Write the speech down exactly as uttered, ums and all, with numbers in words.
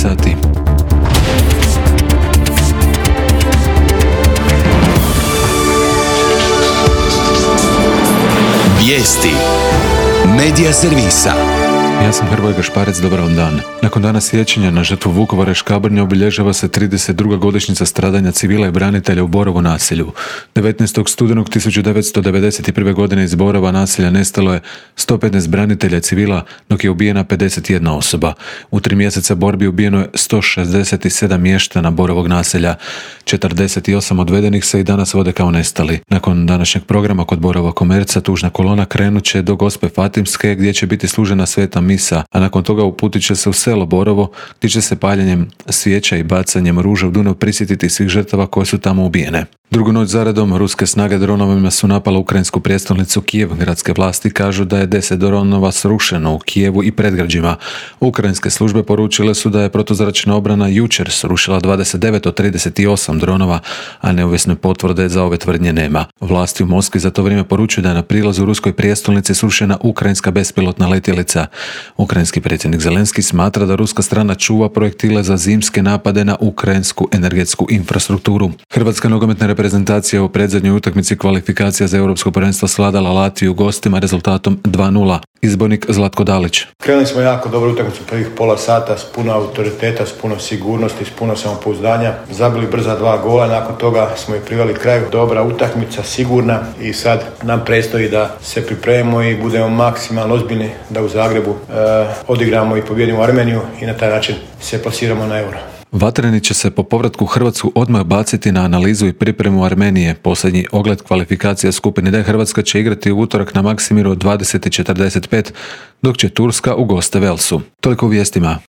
sati. Vijesti Medija servisa. Ja sam Hrvoje Gašparec, dobar vam dan. Nakon dana sjećanja na žrtvu Vukovara i Škabrnje obilježava se trideset druga godišnjica stradanja civila i branitelja u Borovu naselju. devetnaestog studenog tisuću devetsto devedeset prve. godine iz Borova naselja nestalo je sto petnaest branitelja i civila, dok je ubijena pedeset jedna osoba. U tri mjeseca borbi ubijeno je sto šezdeset sedam mještana Borovog naselja. četrdeset osam odvedenih se i danas vode kao nestali. Nakon današnjeg programa kod Borova komerca tužna kolona krenut će do Gospe Fatimske, gdje će biti služena sveta misa, a nakon toga uputit će se u selo Borovo, gdje će se paljenjem svijeća i bacanjem ruža u Dunav prisjetiti svih žrtava koje su tamo ubijene. Drugu noć zaredom ruske snage dronovima su napale ukrajinsku prijestolnicu Kijev. Gradske vlasti kažu da je deset dronova srušeno u Kijevu i predgrađima. Ukrajinske službe poručile su da je protuzračna obrana jučer srušila dvadeset devet od trideset osam dronova, a neovisne potvrde za ove tvrdnje nema. Vlasti u Moskvi za to vrijeme poručuju da je na prilazu u ruskoj prijestolnici srušena ukrajinska bespilotna letjelica. Ukrajinski predsjednik Zelenski smatra da ruska strana čuva projektile za zimske napade na ukrajinsku energetsku infrastrukturu. Hrvatska nogometna reprezentacija u predzadnjoj utakmici kvalifikacija za europsko prvenstvo svladala Latviju gostima rezultatom dva nula. Izbornik Zlatko Dalić. Krenuli smo jako dobro utakmicu prvih pola sata s puno autoriteta, s puno sigurnosti, s puno samopouzdanja. Zabili brza dva gola, nakon toga smo i priveli kraju. Dobra utakmica, sigurna i sad nam predstoji da se pripremimo i budemo maksimalno ozbiljni da u Zagrebu e, odigramo i pobjedimo Armeniju i na taj način se plasiramo na Euro. Vatreni će se po povratku u Hrvatsku odmah baciti na analizu i pripremu Armenije. Posljednji ogled kvalifikacija skupine D Hrvatska će igrati u utorak na Maksimiru od dvadeset četrdeset pet, dok će Turska u goste Velsu. Toliko u vijestima.